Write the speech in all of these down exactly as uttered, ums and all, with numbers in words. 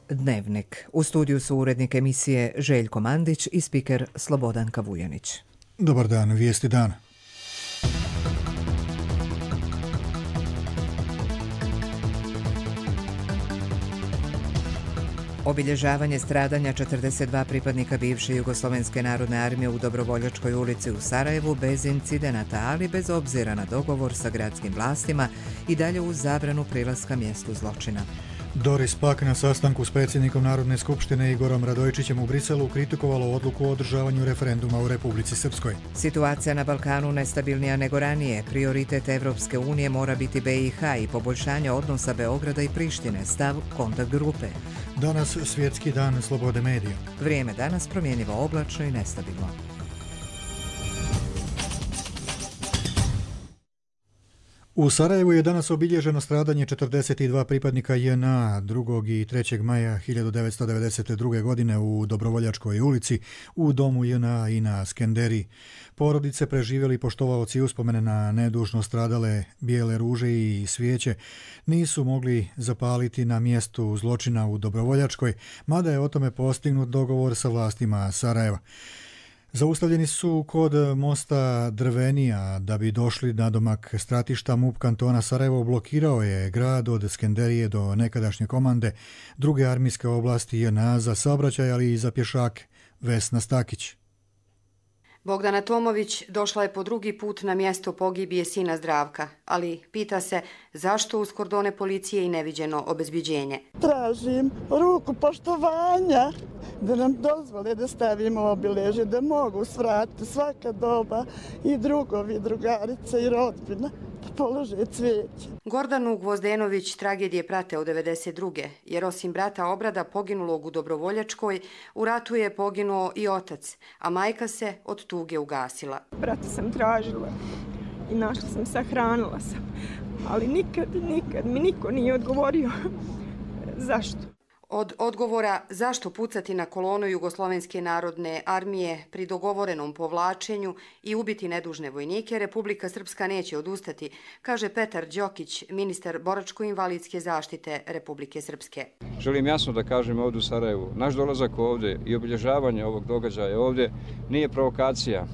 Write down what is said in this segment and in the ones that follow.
Dnevnik. U studiju su urednik emisije Željko Mandić i spiker Slobodanka Vujanić. Dobar dan, vijesti dana. Obilježavanje stradanja četrdeset dva pripadnika bivše Jugoslovenske narodne armije u Dobrovoljačkoj ulici u Sarajevu bez incidenata, ali bez obzira na dogovor sa gradskim vlastima i dalje uz zabranu prilaska mjestu zločina. Doris Pack na sastanku s predsjednikom Narodne skupštine Igorom Radojičićem u Briselu kritikovalo odluku o održavanju referenduma u Republici Srpskoj. Situacija na Balkanu nestabilnija nego ranije. Prioritet Evropske unije mora biti B i H i poboljšanje odnosa Beograda i Prištine, stav kontakt grupe. Danas svjetski dan slobode medija. Vrijeme danas promjenjivo, oblačno i nestabilno. U Sarajevu je danas obilježeno stradanje četrdeset dva pripadnika J N A drugog i trećeg maja hiljadu devetsto devedeset druge. godine u Dobrovoljačkoj ulici u domu J N A i na Skenderiji. Porodice, preživjeli poštovaoci uspomene na nedužno stradale bijele ruže i svijeće nisu mogli zapaliti na mjestu zločina u Dobrovoljačkoj, mada je o tome postignut dogovor sa vlastima Sarajeva. Zaustavljeni su kod mosta Drvenija da bi došli na domak stratišta. MUP kantona Sarajevo blokirao je grad od Skenderije do nekadašnje komande druge armijske oblasti J N A za saobraćaj, ali i za pješake. Vesna Stakić. Bogdana Tomović došla je po drugi put na mjesto pogibije sina Zdravka, ali pita se zašto uz kordone policije i neviđeno obezbiđenje. Tražim ruku poštovanja da nam dozvole da stavimo obilježje, da mogu svratiti svaka doba i drugovi, drugarice i rodbina. Polože cvijeće. Gordanu Gvozdenović tragedije prate od devedeset druge. jer osim brata Obrada poginulog u Dobrovoljačkoj, u ratu je poginuo i otac, a majka se od tuge ugasila. Brata sam tražila i našla sam, sahranila sam, ali nikad, nikad mi niko nije odgovorio zašto. Od odgovora zašto pucati na kolonu Jugoslovenske narodne armije pri dogovorenom povlačenju i ubiti nedužne vojnike, Republika Srpska neće odustati, kaže Petar Đokić, ministar boračko-invalidske zaštite Republike Srpske. Želim jasno da kažem ovdje u Sarajevu, naš dolazak ovdje i obilježavanje ovog događaja ovdje nije provokacija,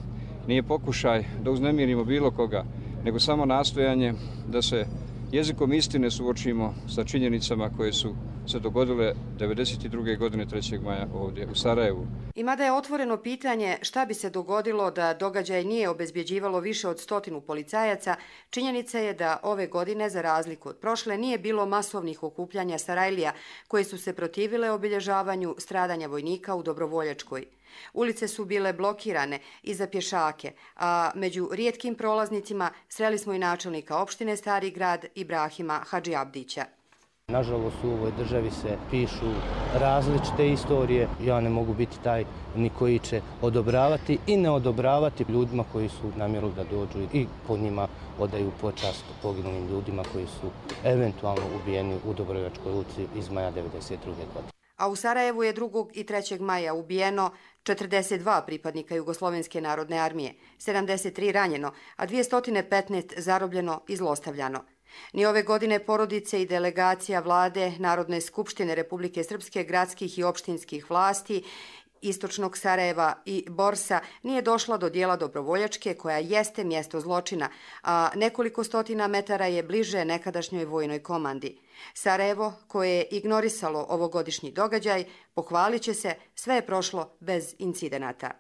nije pokušaj da uznemirimo bilo koga, nego samo nastojanje da se jezikom istine suočimo sa činjenicama koje su se dogodile devedeset druge. godine trećeg maja ovdje u Sarajevu. I mada je otvoreno pitanje šta bi se dogodilo da događaj nije obezbjeđivalo više od stotinu policajaca, činjenica je da ove godine, za razliku od prošle, nije bilo masovnih okupljanja Sarajlija koje su se protivile obilježavanju stradanja vojnika u Dobrovoljačkoj. Ulice su bile blokirane i za pješake, a među rijetkim prolaznicima sreli smo i načelnika opštine Stari grad Ibrahima Hadžiabdića. Nažalost, u ovoj državi se pišu različite istorije. Ja ne mogu biti taj ni koji će odobravati i ne odobravati ljudima koji su namjerili da dođu i po njima odaju počast poginulim ljudima koji su eventualno ubijeni u Dobrovoljačkoj ulici iz maja devedeset druge. godine. A u Sarajevu je drugog i trećeg maja ubijeno četrdeset dva pripadnika Jugoslovenske narodne armije, sedamdeset tri ranjeno, a dvjesto petnaest zarobljeno i zlostavljano. Ni ove godine porodice i delegacija vlade Narodne skupštine Republike Srpske, gradskih i opštinskih vlasti Istočnog Sarajeva i Borsa nije došla do dijela Dobrovoljačke, koja jeste mjesto zločina, a nekoliko stotina metara je bliže nekadašnjoj vojnoj komandi. Sarajevo, koje je ignorisalo ovogodišnji događaj, pohvalit će se, sve je prošlo bez incidenata.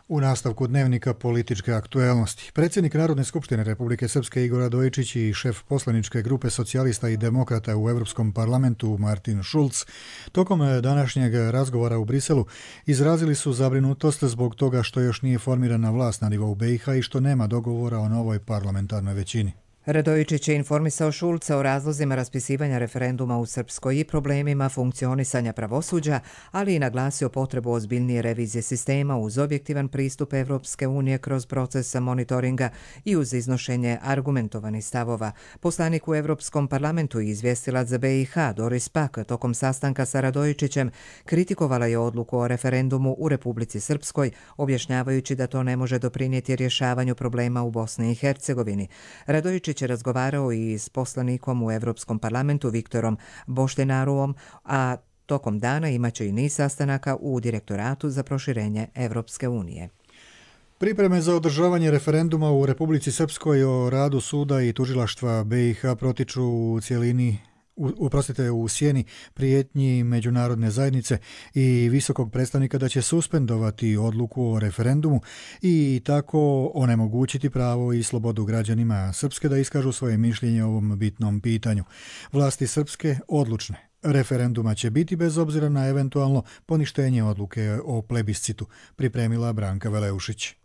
U nastavku dnevnika političke aktuelnosti. Predsjednik Narodne skupštine Republike Srpske Igor Radojičić i šef poslaničke grupe socijalista i demokrata u Europskom parlamentu Martin Schulz tokom današnjeg razgovora u Briselu izrazili su zabrinutost zbog toga što još nije formirana vlast na nivou B i H i što nema dogovora o novoj parlamentarnoj većini. Radojičić je informisao Šulca o razlozima raspisivanja referenduma u Srpskoj i problemima funkcionisanja pravosuđa, ali i naglasio potrebu ozbiljnije revizije sistema uz objektivan pristup Evropske unije kroz proces monitoringa i uz iznošenje argumentovanih stavova. Poslanik u Evropskom parlamentu i izvjestilac za B i H Doris Pack tokom sastanka sa Radojičićem kritikovala je odluku o referendumu u Republici Srpskoj, objašnjavajući da to ne može doprinijeti rješavanju problema u Bosni i Hercegovini. Radojičić je razgovarao i s poslanikom u Evropskom parlamentu Viktorom Boštenaruom, a Tokom dana imaće i niz sastanaka u Direktoratu za proširenje Evropske unije. Pripreme za održavanje referenduma u Republici Srpskoj o radu suda i tužilaštva B i H protiču u cijelini uprostite u sjeni prijetnji međunarodne zajednice i visokog predstavnika da će suspendovati odluku o referendumu i tako onemogućiti pravo i slobodu građanima Srpske da iskažu svoje mišljenje o ovom bitnom pitanju. Vlasti Srpske odlučne. Referenduma će biti bez obzira na eventualno poništenje odluke o plebiscitu, pripremila Branka Veleušić.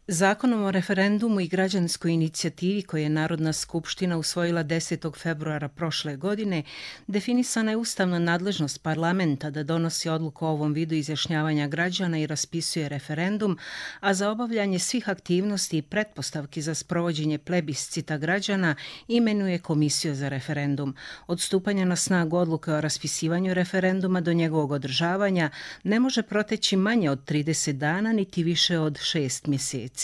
Zakonom o referendumu i građanskoj inicijativi koje je Narodna skupština usvojila desetog februara prošle godine, definisana je ustavna nadležnost parlamenta da donosi odluku o ovom vidu izjašnjavanja građana i raspisuje referendum, a za obavljanje svih aktivnosti i pretpostavki za sprovođenje plebiscita građana imenuje Komisiju za referendum. Od stupanja na snagu odluke o raspisivanju referenduma do njegovog održavanja ne može proteći manje od trideset dana niti više od šest mjeseci.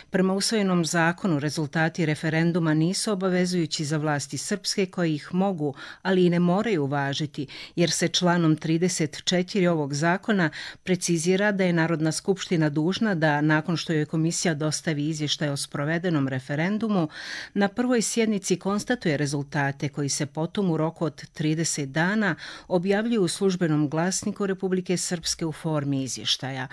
Prema usvojenom zakonu, rezultati referenduma nisu obavezujući za vlasti Srpske koje ih mogu, ali i ne moraju važiti, jer se članom trideset četiri ovog zakona precizira da je Narodna skupština dužna da, nakon što joj komisija dostavi izvještaj o sprovedenom referendumu, na prvoj sjednici konstatuje rezultate koji se potom u roku od trideset dana objavljuju u službenom glasniku Republike Srpske u formi izvještaja.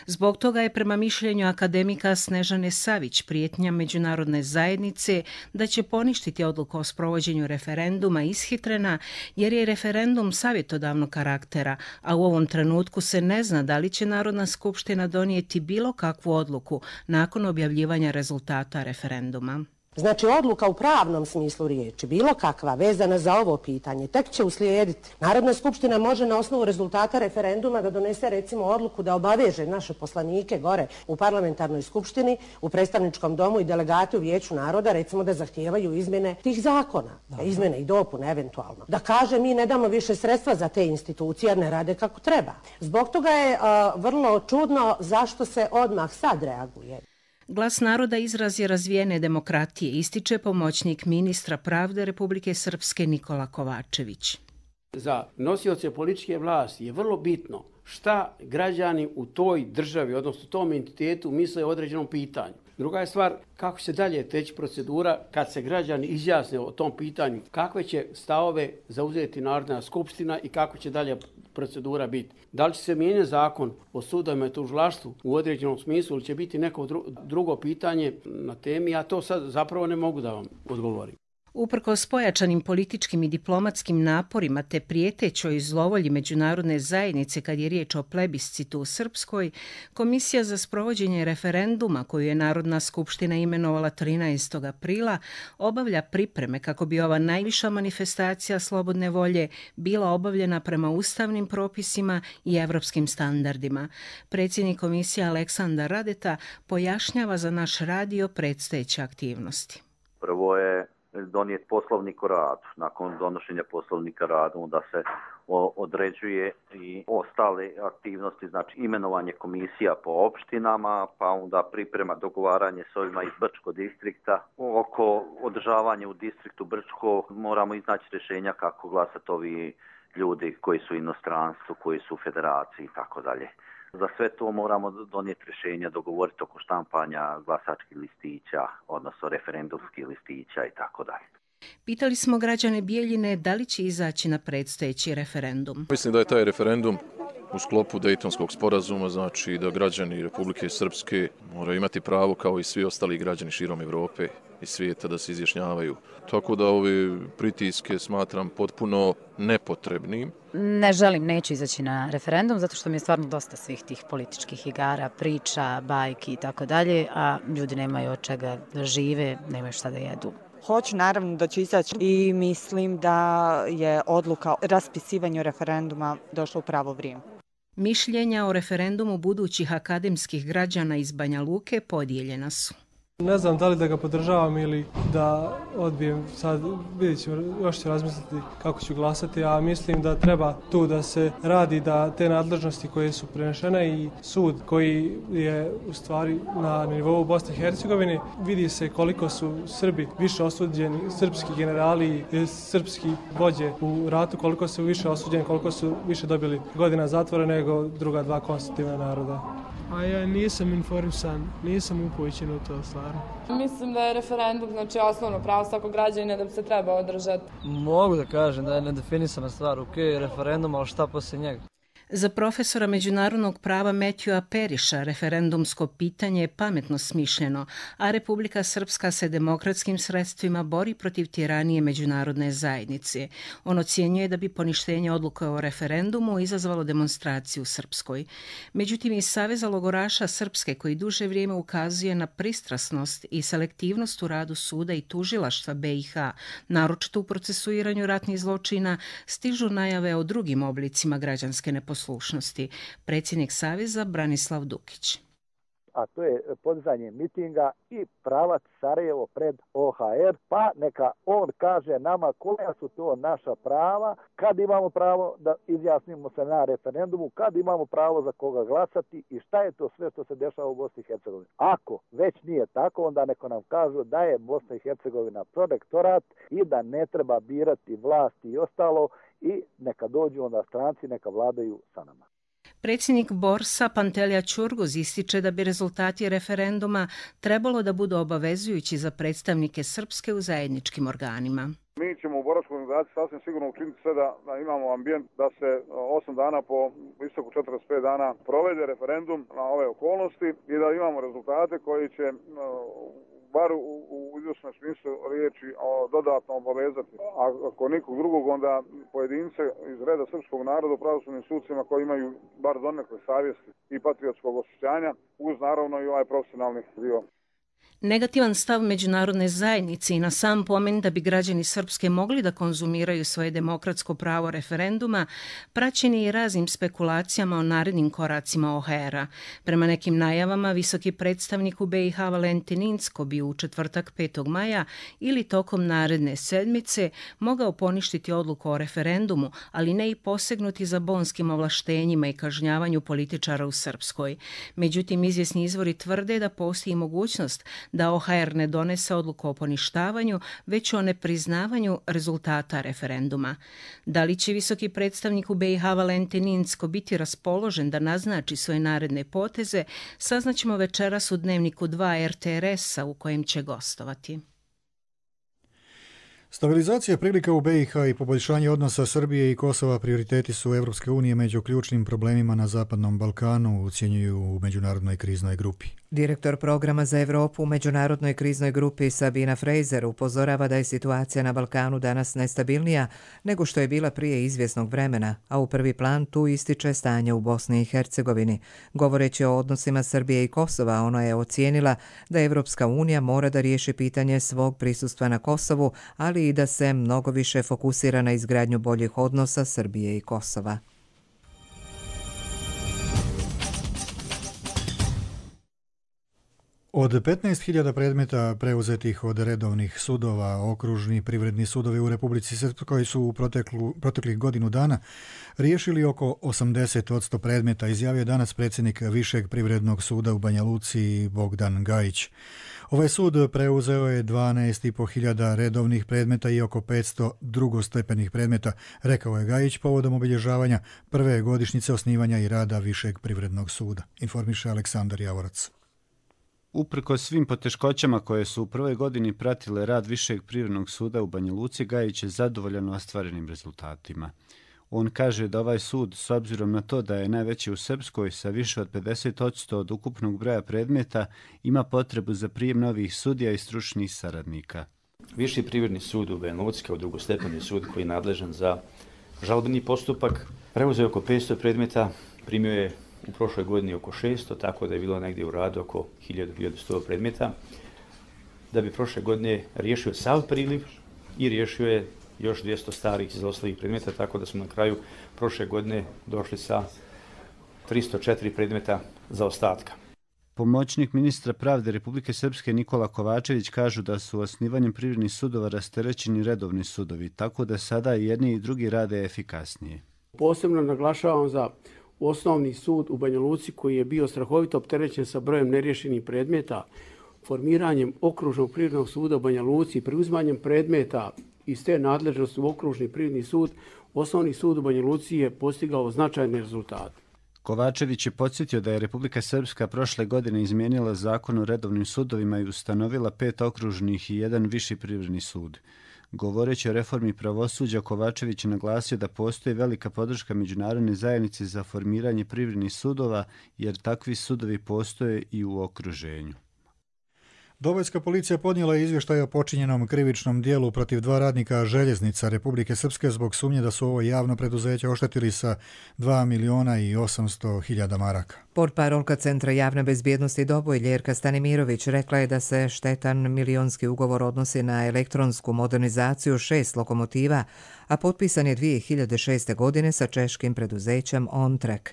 Zbog toga je prema mišljenju akademika Snežane Savić prijetnja međunarodne zajednice da će poništiti odluku o sprovođenju referenduma ishitrena jer je referendum savjetodavnog karaktera, a u ovom trenutku se ne zna da li će Narodna skupština donijeti bilo kakvu odluku nakon objavljivanja rezultata referenduma. Znači, odluka u pravnom smislu riječi, bilo kakva, vezana za ovo pitanje, tek će uslijediti. Narodna skupština može na osnovu rezultata referenduma da donese, recimo, odluku da obaveže naše poslanike gore u parlamentarnoj skupštini, u predstavničkom domu i delegati u Vijeću naroda, recimo, da zahtijevaju izmjene tih zakona, da. izmjene i dopune eventualno. Da kaže, mi ne damo više sredstva za te institucije, jer ne rade kako treba. Zbog toga je uh, vrlo čudno zašto se odmah sad reaguje. Glas naroda izraz je razvijene demokratije, ističe pomoćnik ministra pravde Republike Srpske Nikola Kovačević. Za nosioce političke vlasti je vrlo bitno šta građani u toj državi, odnosno tom entitetu, misle o određenom pitanju. Druga je stvar kako će dalje teći procedura kad se građani izjasne o tom pitanju, kakve će stavove zauzeti Narodna skupština i kako će dalje procedura biti. Da li će se mijenjati zakon o sudovima i tužilaštvu u određenom smislu ili će biti neko drugo pitanje na temi, ja to sad zapravo ne mogu da vam odgovorim. Uprkos pojačanim političkim i diplomatskim naporima te prijetećoj zlovolji međunarodne zajednice kad je riječ o plebiscitu u Srpskoj, Komisija za sprovođenje referenduma koju je Narodna skupština imenovala trinaestog aprila obavlja pripreme kako bi ova najviša manifestacija slobodne volje bila obavljena prema ustavnim propisima i evropskim standardima. Predsjednik komisije Aleksandar Radeta pojašnjava za naš radio predstojeće aktivnosti. Prvo je donijeti poslovnik o radu. Nakon donošenja poslovnika radu da se određuje i ostale aktivnosti, znači imenovanje komisija po opštinama, pa onda priprema dogovaranje s ovima iz Brčko distrikta. Oko održavanja u distriktu Brčko moramo iznaći rješenja kako glasati ovi ljudi koji su u inostranstvu, koji su u federaciji i tako dalje. Za sve to moramo donijeti rješenja, dogovoriti oko štampanja glasačkih listića, odnosno referendumskih listića i tako dalje. Pitali smo građane Bijeljine da li će izaći na predstojeći referendum. Mislim da je taj referendum u sklopu Dejtonskog sporazuma, znači da građani Republike Srpske moraju imati pravo kao i svi ostali građani širom Evrope i svijeta da se izjašnjavaju. Tako da ove pritiske smatram potpuno nepotrebnim. Ne želim, neću izaći na referendum zato što mi je stvarno dosta svih tih političkih igara, priča, bajki i tako dalje, a ljudi nemaju od čega da žive, nemaju šta da jedu. Hoću, naravno da ću izaći i mislim da je odluka o raspisivanju referenduma došla u pravo vrijeme. Mišljenja o referendumu budućih akademskih građana iz Banja Luke podijeljena su. Ne znam da li da ga podržavam ili da odbijem, sad vidjet ću, još ću razmisliti kako ću glasati, a mislim da treba tu da se radi da te nadležnosti koje su prenešene i sud koji je u stvari na nivou Bosne i Hercegovine, vidi se koliko su Srbi više osuđeni, srpski generali i srpski vođe u ratu, koliko su više osuđeni, koliko su više dobili godina zatvora nego druga dva konstitutivna naroda. A ja nisam informisan, nisam upućen u to stvarno. Mislim da je referendum znači osnovno pravo svakog građanina da bi se treba održati. Mogu da kažem da je nedefinisana stvar, ok, referendum, ali šta poslije njega? Za profesora međunarodnog prava Matthewa Periša referendumsko pitanje je pametno smišljeno, a Republika Srpska se demokratskim sredstvima bori protiv tiranije međunarodne zajednice. On ocjenjuje da bi poništenje odluke o referendumu izazvalo demonstraciju u Srpskoj. Međutim, iz Saveza logoraša Srpske, koji duže vrijeme ukazuje na pristrasnost i selektivnost u radu suda i tužilaštva be i ha, naročito u procesuiranju ratnih zločina, stižu najave o drugim oblicima građanske neposlušnosti. Poslušnosti. Predsjednik Saveza Branislav Dukić. A to je podizanje mitinga i pravac Sarajevo pred o ha er, pa neka on kaže nama koja su to naša prava, kad imamo pravo da izjasnimo se na referendumu, kad imamo pravo za koga glasati i šta je to sve što se dešava u Bosni i Hercegovini. Ako već nije tako, onda neko nam kažu da je Bosna i Hercegovina protektorat i da ne treba birati vlast i ostalo i neka dođu onda stranci, neka vladaju sa nama. Predsjednik Borsa Pantelija Ćurguz ističe da bi rezultati referenduma trebalo da budu obavezujući za predstavnike Srpske u zajedničkim organima. Mi ćemo u boračkoj organizaciji sasvim sigurno učiniti sve da, da imamo ambijent da se osam dana po istoku četrdeset pet dana provede referendum na ove okolnosti i da imamo rezultate koji će bar u, u izvršnom smislu riječi o, dodatno obavezati. A ako nikog drugog, onda pojedince iz reda srpskog naroda u pravosudnim sudcima koji imaju bar donekle savjesti i patriotskog osjećanja, uz naravno i ovaj profesionalni dio. Negativan stav međunarodne zajednice i na sam pomen da bi građani Srpske mogli da konzumiraju svoje demokratsko pravo referenduma praćen je i raznim spekulacijama o narednim koracima o ha era. Prema nekim najavama, visoki predstavnik u be i ha Valentin Incko bi u četvrtak petog maja ili tokom naredne sedmice mogao poništiti odluku o referendumu, ali ne i posegnuti za bonskim ovlaštenjima i kažnjavanju političara u Srpskoj. Međutim, izvjesni izvori tvrde da postoji mogućnost da o ha er ne donese odluku o poništavanju, već o nepriznavanju rezultata referenduma. Da li će visoki predstavnik u be i ha Valentin Incko biti raspoložen da naznači svoje naredne poteze, saznaćemo večeras u Dnevniku dva er te er esa u kojem će gostovati. Stabilizacija prilika u be i ha i poboljšanje odnosa Srbije i Kosova prioriteti su Evropske unije među ključnim problemima na Zapadnom Balkanu, ocjenjuju u Međunarodnoj kriznoj grupi. Direktor programa za Evropu u Međunarodnoj kriznoj grupi Sabina Fraser upozorava da je situacija na Balkanu danas nestabilnija nego što je bila prije izvjesnog vremena, a u prvi plan tu ističe stanje u Bosni i Hercegovini. Govoreći o odnosima Srbije i Kosova, ona je ocijenila da Evropska unija mora da riješi pitanje svog prisustva na Kosovu, ali i da se mnogo više fokusira na izgradnju boljih odnosa Srbije i Kosova. Od petnaest hiljada predmeta preuzetih od redovnih sudova, okružni privredni sudovi u Republici Srpskoj su u proteklu, proteklih godinu dana riješili oko osamdeset posto predmeta, izjavio danas predsjednik Višeg privrednog suda u Banja Luci Bogdan Gajić. Ovaj sud preuzeo je dvanaest i po hiljada redovnih predmeta i oko petsto drugostepenih predmeta, rekao je Gajić povodom obilježavanja prve godišnjice osnivanja i rada Višeg privrednog suda, informiše Aleksandar Javorac. Uprkos svim poteškoćama koje su u prvoj godini pratile rad Višeg privrednog suda u Banja Luci, Gajić je zadovoljan ostvarenim rezultatima. On kaže da ovaj sud, s obzirom na to da je najveći u Srpskoj sa više od pedeset posto od ukupnog broja predmeta, ima potrebu za prijem novih sudija i stručnih saradnika. Viši privredni sud u Banja Luci kao drugostepeni sud koji je nadležan za žalbeni postupak preuzeo oko petsto predmeta, primio je u prošloj godini oko šesto, tako da je bilo negdje u radu oko hiljadu do hiljadu sto predmeta, da bi prošle godine riješio sav priliv i riješio je još dvjesto starih izostalih predmeta, tako da smo na kraju prošle godine došli sa tristo četiri predmeta za ostatka. Pomoćnik ministra pravde Republike Srpske Nikola Kovačević kažu da su osnivanjem privrednih sudova rasterećeni redovni sudovi, tako da sada i jedni i drugi rade efikasnije. Posebno naglašavam za osnovni sud u Banja Luci koji je bio strahovito opterećen sa brojem neriješenih predmeta, formiranjem okružnog privrednog suda u Banja Luci, preuzmanjem predmeta iz te nadležnosti u okružni privredni sud, osnovni sud u Banja Luci je postigao značajne rezultate. Kovačević je podsjetio da je Republika Srpska prošle godine izmijenila zakon o redovnim sudovima i ustanovila pet okružnih i jedan viši privredni sud. Govoreći o reformi pravosuđa, Kovačević je naglasio da postoji velika podrška međunarodne zajednice za formiranje privrednih sudova, jer takvi sudovi postoje i u okruženju. Dobojska policija podnijela izvještaj o počinjenom krivičnom dijelu protiv dva radnika željeznica Republike Srpske zbog sumnje da su ovo javno preduzeće oštetili sa dva miliona i osamsto hiljada maraka. Portparolka Centra javne bezbjednosti Doboj Ljerka Stanimirović rekla je da se štetan milionski ugovor odnosi na elektronsku modernizaciju šest lokomotiva, a potpisan je dvije hiljade šeste. godine sa češkim preduzećem OnTrack.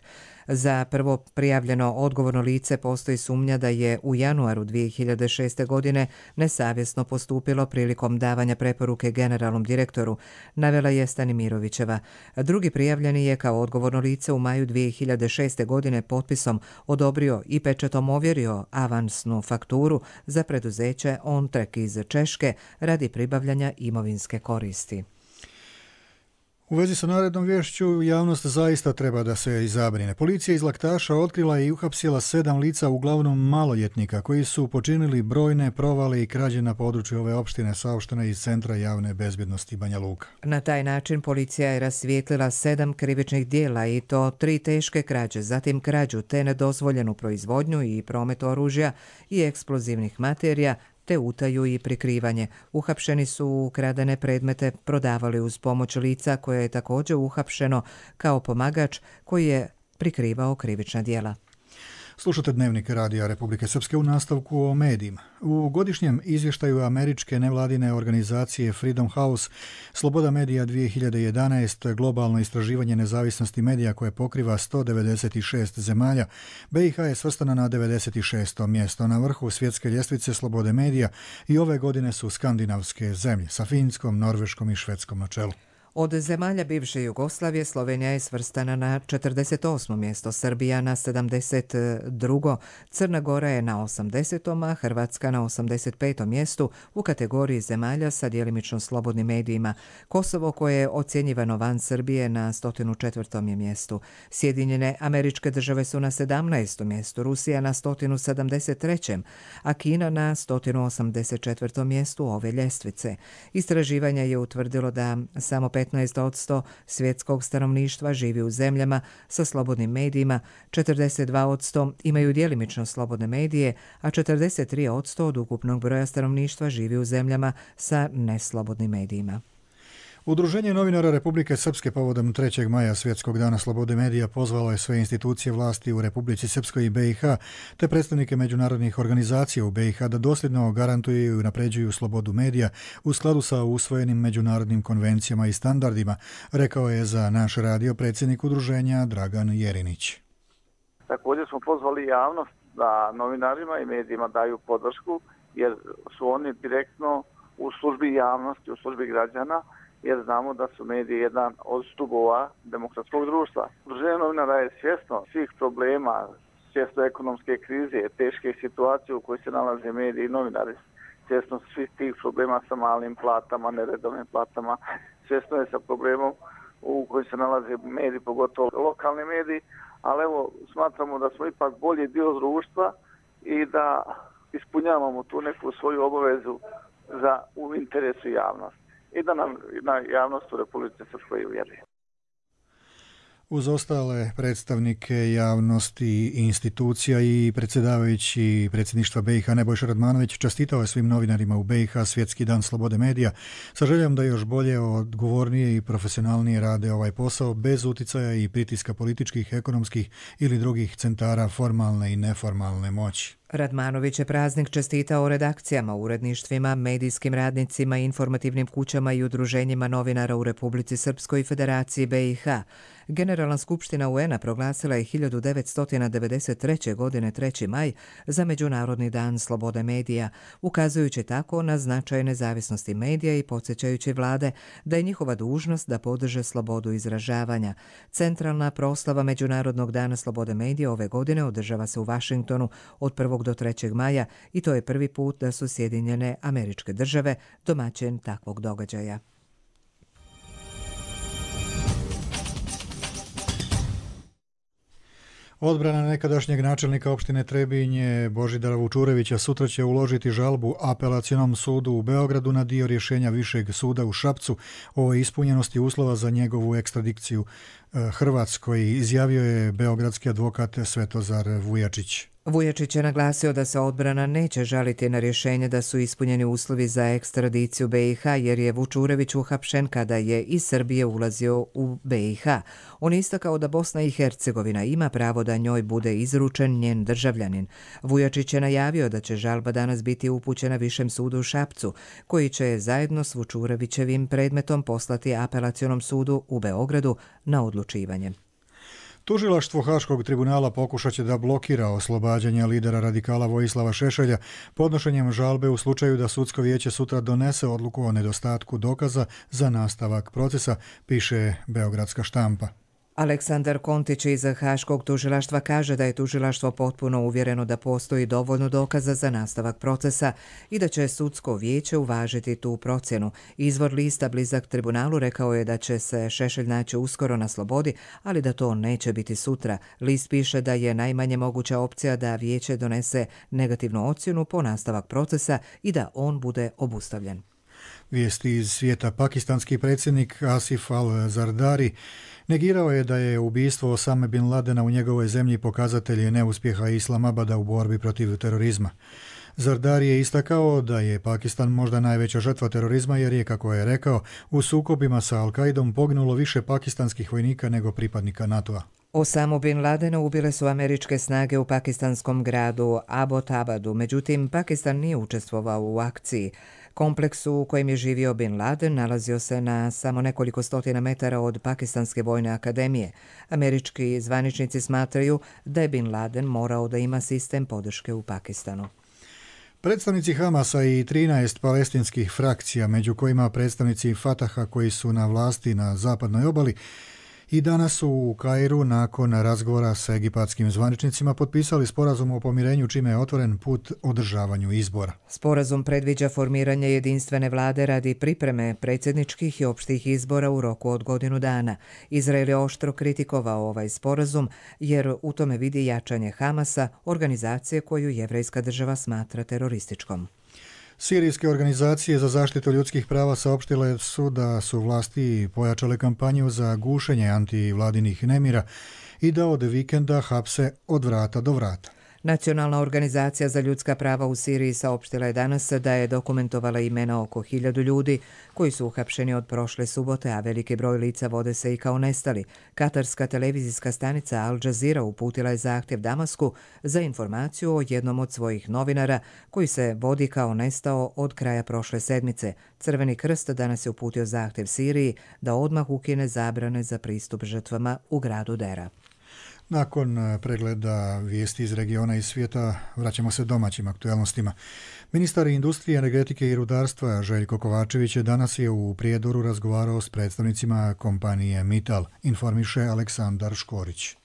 Za prvo prijavljeno odgovorno lice postoji sumnja da je u januaru dvije hiljade šeste. godine nesavjesno postupilo prilikom davanja preporuke generalnom direktoru, navela je Stanimirovićeva. Drugi prijavljeni je kao odgovorno lice u maju dvije hiljade šeste. godine potpisom odobrio i pečatom ovjerio avansnu fakturu za preduzeće OnTrack iz Češke radi pribavljanja imovinske koristi. U vezi sa narednom vješću, javnost zaista treba da se izabrine. Policija iz Laktaša otkrila i uhapsila sedam lica, uglavnom maloljetnika, koji su počinili brojne provale i krađe na području ove opštine, saopštene iz Centra javne bezbjednosti Banja Luka. Na taj način policija je rasvijetlila sedam krivičnih dijela i to tri teške krađe, zatim krađu te nedozvoljenu proizvodnju i promet oružja i eksplozivnih materija, te utaju i prikrivanje. Uhapšeni su ukradene predmete prodavali uz pomoć lica koje je također uhapšeno kao pomagač koji je prikrivao krivična djela. Slušate Dnevnik Radija Republike Srpske u nastavku o medijima. U godišnjem izvještaju američke nevladine organizacije Freedom House Sloboda medija dvije hiljade jedanaeste. globalno istraživanje nezavisnosti medija koje pokriva sto devedeset šest zemalja, B i H je svrstana na devedeset šesto. mjesto na vrhu svjetske ljestvice slobode medija i ove godine su skandinavske zemlje sa Finskom, Norveškom i Švedskom na čelu. Od zemalja bivše Jugoslavije Slovenija je svrstana na četrdeset osmo mjesto, Srbija na sedamdeset drugo. Crna Gora je na osamdesetom. a Hrvatska na osamdeset petom mjestu u kategoriji zemalja sa djelimično slobodnim medijima. Kosovo, koje je ocjenjivano van Srbije, na sto četvrtom je mjestu. Sjedinjene Američke Države su na sedamnaestom mjestu, Rusija na sto sedamdeset trećem. a Kina na sto osamdeset četvrtom mjestu ove ljestvice. Istraživanje je utvrdilo da samo petnaest posto svjetskog stanovništva živi u zemljama sa slobodnim medijima, četrdeset dva posto imaju djelimično slobodne medije, a četrdeset tri posto od ukupnog broja stanovništva živi u zemljama sa neslobodnim medijima. Udruženje novinara Republike Srpske povodom trećeg maja Svjetskog dana slobode medija pozvalo je sve institucije vlasti u Republici Srpskoj i B i H te predstavnike međunarodnih organizacija u B i H da dosljedno garantuju i napređuju slobodu medija u skladu sa usvojenim međunarodnim konvencijama i standardima, rekao je za naš radio predsjednik udruženja Dragan Jerinić. Također smo pozvali javnost da novinarima i medijima daju podršku jer su oni direktno u službi javnosti, u službi građana, jer znamo da su mediji jedan od stubova demokratskog društva. Udruženje novinara je svjesno svih problema, svjesno ekonomske krize, teške situacije u kojoj se nalaze mediji i novinari, svjesno svih tih problema sa malim platama, neredovnim platama, svjesno je sa problemom u kojoj se nalaze mediji, pogotovo lokalni mediji, ali evo smatramo da smo ipak bolji dio društva i da ispunjavamo tu neku svoju obavezu za u interesu javnosti i da nam na javnost u Republike Srpskoj uvjeruje. Uz ostale predstavnike javnosti i institucija i predsjedavajući predsjedništva B i H Nebojša Radmanović čestitao je svim novinarima u B i H Svjetski dan slobode medija sa željom da još bolje, odgovornije i profesionalnije rade ovaj posao bez uticaja i pritiska političkih, ekonomskih ili drugih centara formalne i neformalne moći. Radmanović je praznik čestitao redakcijama, uredništvima, medijskim radnicima, informativnim kućama i udruženjima novinara u Republici Srpskoj i Federaciji B i H. Generalna skupština U N-a proglasila je hiljadu devetsto devedeset treće. godine treći maj za Međunarodni dan slobode medija, ukazujući tako na značaj nezavisnosti medija i podsjećajući vlade da je njihova dužnost da podrže slobodu izražavanja. Centralna proslava Međunarodnog dana slobode medija ove godine održava se u Vašingtonu od prvog do trećeg maja i to je prvi put da su Sjedinjene Američke Države domaćin takvog događaja. Odbrana nekadašnjeg načelnika opštine Trebinje Božidara Vučurevića sutra će uložiti žalbu Apelacionom sudu u Beogradu na dio rješenja Višeg suda u Šapcu o ispunjenosti uslova za njegovu ekstradikciju Hrvatskoj, izjavio je beogradski advokat Svetozar Vujačić. Vujačić je naglasio da se odbrana neće žaliti na rješenje da su ispunjeni uslovi za ekstradiciju B i H jer je Vučurević uhapšen kada je iz Srbije ulazio u B i H. On je istakao da Bosna i Hercegovina ima pravo da njoj bude izručen njen državljanin. Vujačić je najavio da će žalba danas biti upućena Višem sudu u Šapcu, koji će zajedno s Vučurevićevim predmetom poslati Apelacionom sudu u Beogradu na odlučivanje. Tužilaštvo Haškog tribunala pokušat će da blokira oslobađanje lidera radikala Vojislava Šešelja podnošenjem žalbe u slučaju da sudsko vijeće sutra donese odluku o nedostatku dokaza za nastavak procesa, piše Beogradska štampa. Aleksandar Kontić iz Haškog tužilaštva kaže da je tužilaštvo potpuno uvjereno da postoji dovoljno dokaza za nastavak procesa i da će sudsko vijeće uvažiti tu procjenu. Izvor lista blizak tribunalu rekao je da će se Šešelj naći uskoro na slobodi, ali da to neće biti sutra. List piše da je najmanje moguća opcija da vijeće donese negativnu ocjenu po nastavak procesa i da on bude obustavljen. Vijesti iz svijeta. Pakistanski predsjednik Asif al-Zardari negirao je da je ubistvo Osame bin Ladena u njegovoj zemlji pokazatelj neuspjeha Islamabada u borbi protiv terorizma. Zardari je istakao da je Pakistan možda najveća žrtva terorizma jer je, kako je rekao, u sukobima sa Al-Qaidom poginulo više pakistanskih vojnika nego pripadnika NATO-a. Osamu bin Ladena ubile su američke snage u pakistanskom gradu Abbottabadu, međutim Pakistan nije učestvovao u akciji. Kompleks u kojem je živio bin Laden nalazio se na samo nekoliko stotina metara od Pakistanske vojne akademije. Američki zvaničnici smatraju da je bin Laden morao da ima sistem podrške u Pakistanu. Predstavnici Hamasa i trinaest palestinskih frakcija, među kojima predstavnici Fataha koji su na vlasti na zapadnoj obali, i danas su u Kairu nakon razgovora sa egipatskim zvaničnicima potpisali sporazum o pomirenju čime je otvoren put održavanju izbora. Sporazum predviđa formiranje jedinstvene vlade radi pripreme predsjedničkih i opštih izbora u roku od godinu dana. Izrael je oštro kritikovao ovaj sporazum jer u tome vidi jačanje Hamasa, organizacije koju jevrejska država smatra terorističkom. Sirijske organizacije za zaštitu ljudskih prava saopštile su da su vlasti pojačale kampanju za gušenje antivladinih nemira i da od vikenda hapse od vrata do vrata. Nacionalna organizacija za ljudska prava u Siriji saopštila je danas da je dokumentovala imena oko hiljadu ljudi koji su uhapšeni od prošle subote, a veliki broj lica vode se i kao nestali. Katarska televizijska stanica Al Jazeera uputila je zahtjev Damasku za informaciju o jednom od svojih novinara koji se vodi kao nestao od kraja prošle sedmice. Crveni krst danas je uputio zahtjev Siriji da odmah ukine zabrane za pristup žrtvama u gradu Dera. Nakon pregleda vijesti iz regiona i svijeta, vraćamo se domaćim aktualnostima. Ministar industrije, energetike i rudarstva Željko Kovačević danas je u Prijedoru razgovarao s predstavnicima kompanije Mittal, informiše Aleksandar Škorić.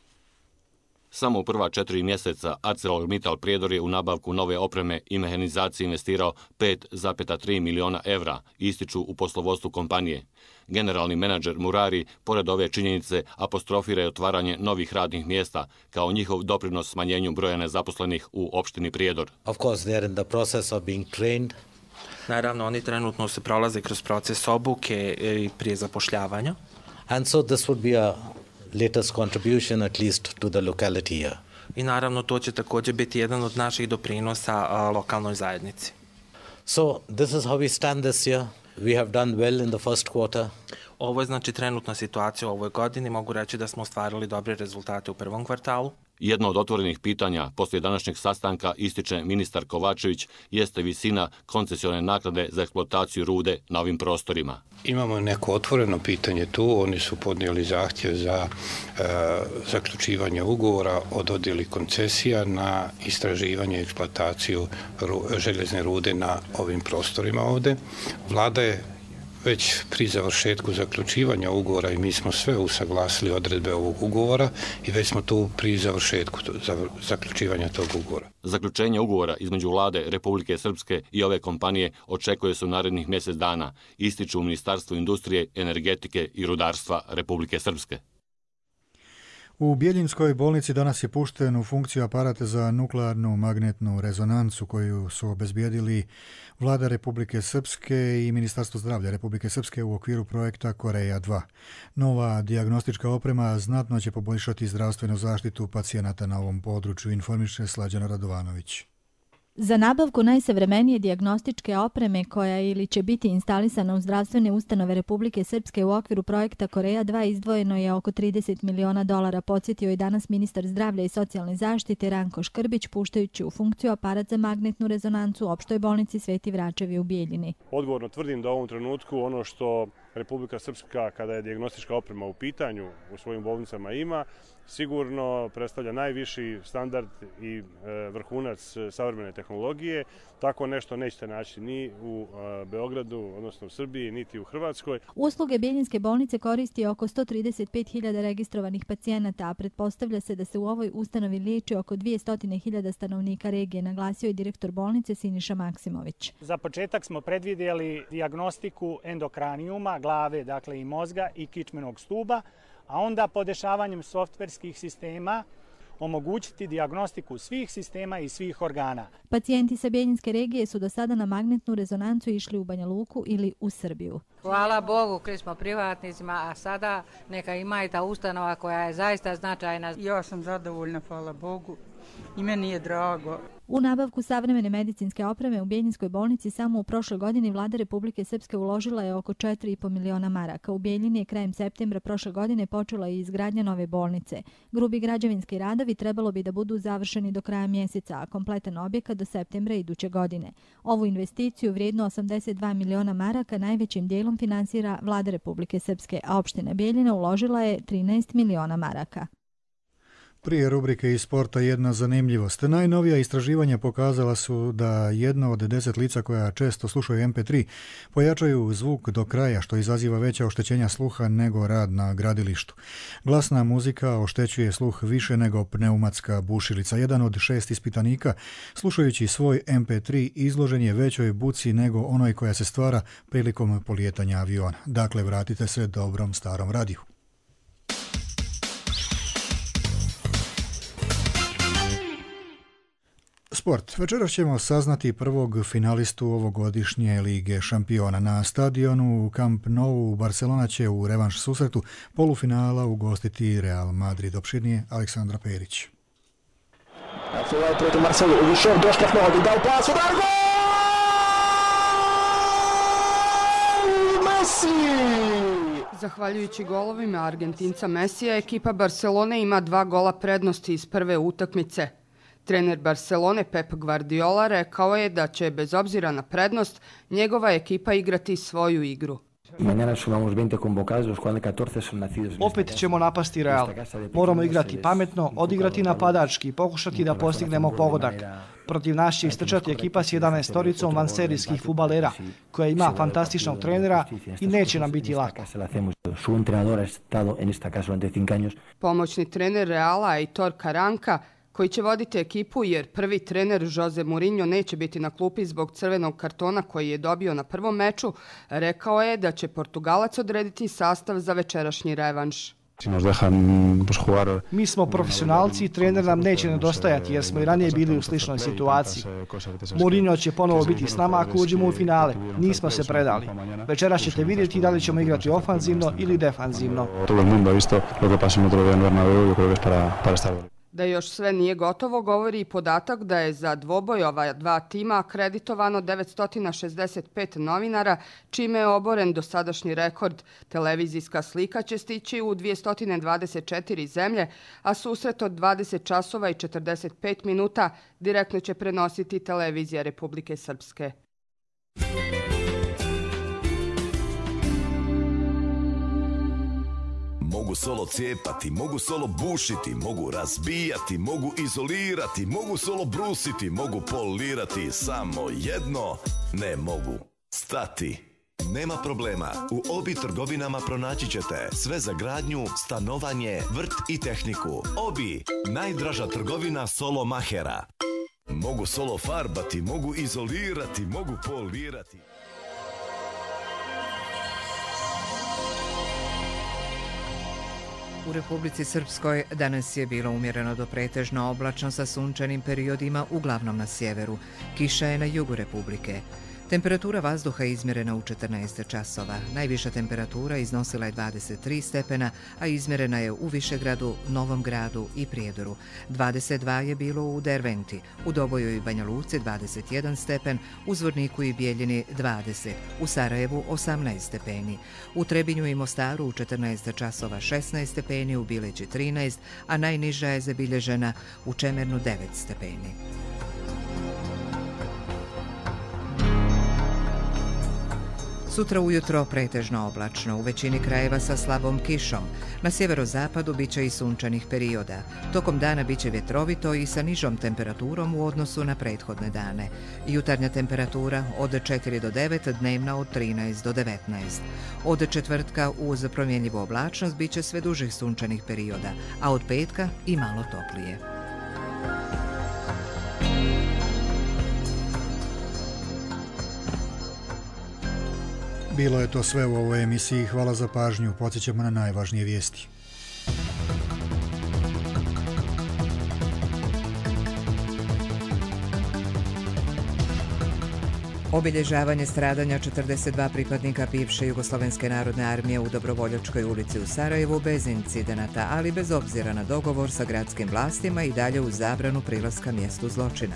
Samo u prva četiri mjeseca ArcelorMittal Prijedor je u nabavku nove opreme i mehanizacije investirao pet zarez tri miliona evra, ističu u poslovodstvu kompanije. Generalni menadžer Murari, pored ove činjenice, apostrofira je otvaranje novih radnih mjesta kao njihov doprinos smanjenju broja nezaposlenih u opštini Prijedor. Of course, they are in the process of being trained. Naravno, oni trenutno se prolaze kroz proces obuke i prije zapošljavanja. And so this would be a latest contribution at least to the locality here. I naravno to će također biti jedan od naših doprinosa a, lokalnoj zajednici. So this is how we stand this year. We have done well in the first quarter. Ovo je znači trenutna situacija u ovoj godini. Mogu reći da smo ostvarili dobre rezultate u prvom kvartalu. Jedno od otvorenih pitanja poslije današnjeg sastanka, ističe ministar Kovačević, jeste visina koncesione naknade za eksploataciju rude na ovim prostorima. Imamo neko otvoreno pitanje tu, oni su podnijeli zahtjev za e, zaključivanje ugovora o dodjeli koncesija na istraživanje i eksploataciju ru, željezne rude na ovim prostorima ovdje. Vlada je već pri završetku zaključivanja ugovora i mi smo sve usaglasili odredbe ovog ugovora i već smo tu pri završetku zaključivanja tog ugovora. Zaključenje ugovora između Vlade Republike Srpske i ove kompanije očekuje se u narednih mjesec dana, ističu u Ministarstvu industrije, energetike i rudarstva Republike Srpske. U Bjeljinskoj bolnici danas je pušten u funkciju aparat za nuklearnu magnetnu rezonancu koju su obezbijedili Vlada Republike Srpske i Ministarstvo zdravlja Republike Srpske u okviru projekta Koreja dva. Nova dijagnostička oprema znatno će poboljšati zdravstvenu zaštitu pacijenata na ovom području, informiše Slađana Radovanović. Za nabavku najsavremenije dijagnostičke opreme koja ili će biti instalisana u zdravstvene ustanove Republike Srpske u okviru projekta Koreja dva izdvojeno je oko trideset miliona dolara, podsjetio je danas ministar zdravlja i socijalne zaštite Ranko Škrbić, puštajući u funkciju aparat za magnetnu rezonancu u opštoj bolnici Sveti Vračevi u Bijeljini. Odgovorno tvrdim da u ovom trenutku ono što Republika Srpska, kada je dijagnostička oprema u pitanju, u svojim bolnicama ima, sigurno predstavlja najviši standard i vrhunac savremene tehnologije. Tako nešto nećete naći ni u Beogradu, odnosno u Srbiji, niti u Hrvatskoj. Usluge Bjeljinske bolnice koristi oko sto trideset pet hiljada registrovanih pacijenata, a pretpostavlja se da se u ovoj ustanovi liječi oko dvjesto hiljada stanovnika regije, naglasio je direktor bolnice Siniša Maksimović. Za početak smo predvidjeli dijagnostiku endokranijuma, glave, dakle i mozga i kičmenog stuba, a onda podešavanjem softverskih sistema omogućiti dijagnostiku svih sistema i svih organa. Pacijenti sa Bjeljinske regije su do sada na magnetnu rezonancu išli u Banja Luku ili u Srbiju. Hvala Bogu, kri smo privatnicima, a sada neka ima i ta ustanova koja je zaista značajna. Ja sam zadovoljna, hvala Bogu, i meni je drago. U nabavku savremene medicinske opreme u Bjeljinskoj bolnici samo u prošloj godini Vlada Republike Srpske uložila je oko četiri i po miliona maraka. U Bjeljini je krajem septembra prošle godine počela i izgradnja nove bolnice. Grubi građevinski radovi trebalo bi da budu završeni do kraja mjeseca, a kompletan objekat do septembra iduće godine. Ovu investiciju vrijednu osamdeset dva miliona maraka najvećim dijelom finansira Vlada Republike Srpske, a opština Bjeljina uložila je trinaest miliona maraka. Prije rubrike iz sporta jedna zanimljivost. Najnovija istraživanja pokazala su da jedno od deset lica koja često slušaju em pe tri pojačaju zvuk do kraja, što izaziva veća oštećenja sluha nego rad na gradilištu. Glasna muzika oštećuje sluh više nego pneumatska bušilica. Jedan od šest ispitanika, slušajući svoj em pe tri, izložen je većoj buci nego onoj koja se stvara prilikom polijetanja aviona. Dakle, vratite se dobrom starom radiju. Sport. Večeras ćemo saznati prvog finalistu ovogodišnje Lige šampiona. Na stadionu Camp Nou Barcelona će u revanš susretu polufinala ugostiti Real Madrid. Opširnije Aleksandra Perić. Zahvaljujući golovima Argentinca Mesija, ekipa Barcelone ima dva gola prednosti iz prve utakmice. Trener Barcelone Pep Guardiola rekao je da će, bez obzira na prednost, njegova ekipa igrati svoju igru. Opet ćemo napasti Real. Moramo igrati pametno, odigrati napadački, pokušati da postignemo pogodak. Protiv nas će istrčati ekipa s jedanaestoricom vanserijskih fudbalera, koja ima fantastičnog trenera i neće nam biti lako. Pomoćni trener Reala Aitor Karanka, koji će voditi ekipu jer prvi trener Jose Mourinho neće biti na klupi zbog crvenog kartona koji je dobio na prvom meču, rekao je da će Portugalac odrediti sastav za večerašnji revanš. Mi smo profesionalci i trener nam neće nedostajati jer smo i ranije bili u sličnoj situaciji. Mourinho će ponovo biti s nama ako uđemo u finale. Nismo se predali. Večeras ćete vidjeti da li ćemo igrati ofanzivno ili defanzivno. Da još sve nije gotovo govori i podatak da je za dvoboj ova dva tima akreditovano devetsto šezdeset pet novinara, čime je oboren dosadašnji rekord. Televizijska slika će stići u dvjesto dvadeset četiri zemlje, a susret od dvadeset časova i četrdeset pet minuta direktno će prenositi Televizija Republike Srpske. Mogu solo cijepati, mogu solo bušiti, mogu razbijati, mogu izolirati, mogu solo brusiti, mogu polirati, samo jedno ne mogu stati. Nema problema, u Obi trgovinama pronaći ćete sve za gradnju, stanovanje, vrt i tehniku. Obi, najdraža trgovina solo mahera. Mogu solo farbati, mogu izolirati, mogu polirati. U Republici Srpskoj danas je bilo umjereno do pretežno oblačno sa sunčanim periodima, uglavnom na sjeveru. Kiša je na jugu Republike. Temperatura vazduha je izmjerena u četrnaest časova. Najviša temperatura iznosila je dvadeset tri stepena, a izmjerena je u Višegradu, Novom Gradu i Prijedoru. dvadeset dva je bilo u Derventi, u Doboju i Banja Luci dvadeset jedan stepen, u Zvorniku i Bijeljini dvadeset, u Sarajevu osamnaest stepeni. U Trebinju i Mostaru u četrnaest časova šesnaest stepeni, u Bileći trinaest, a najniža je zabilježena u Čemernu devet stepeni. Sutra ujutro pretežno oblačno, u većini krajeva sa slabom kišom. Na sjeverozapadu biće i sunčanih perioda. Tokom dana biće vjetrovito i sa nižom temperaturom u odnosu na prethodne dane. Jutarnja temperatura od četiri do devet, dnevna od trinaest do devetnaest. Od četvrtka uz promjenljivu oblačnost biće sve dužih sunčanih perioda, a od petka i malo toplije. Bilo je to sve u ovoj emisiji. Hvala za pažnju. Podsjećamo na najvažnije vijesti. Obilježavanje stradanja četrdeset dva pripadnika bivše Jugoslovenske narodne armije u Dobrovoljačkoj ulici u Sarajevu bez incidenata, ali bez obzira na dogovor sa gradskim vlastima i dalje uz zabranu prilaska mjestu zločina.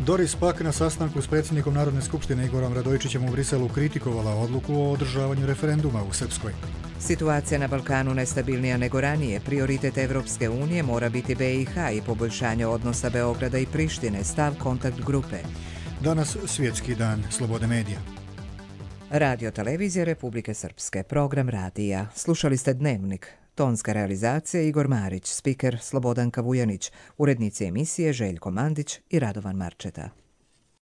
Doris Pak na sastanku s predsjednikom Narodne skupštine Igorom Radojičićem u Briselu kritikovala odluku o održavanju referenduma u Srpskoj. Situacija na Balkanu nestabilnija nego ranije. Prioritet Evropske unije mora biti B i H i poboljšanje odnosa Beograda i Prištine, stav kontakt grupe. Danas svjetski dan slobode medija. Radio televizija Republike Srpske, program radija. Slušali ste Dnevnik. Tonska realizacija Igor Marić, spiker Slobodanka Vujanić, urednici emisije Željko Mandić i Radovan Marčeta.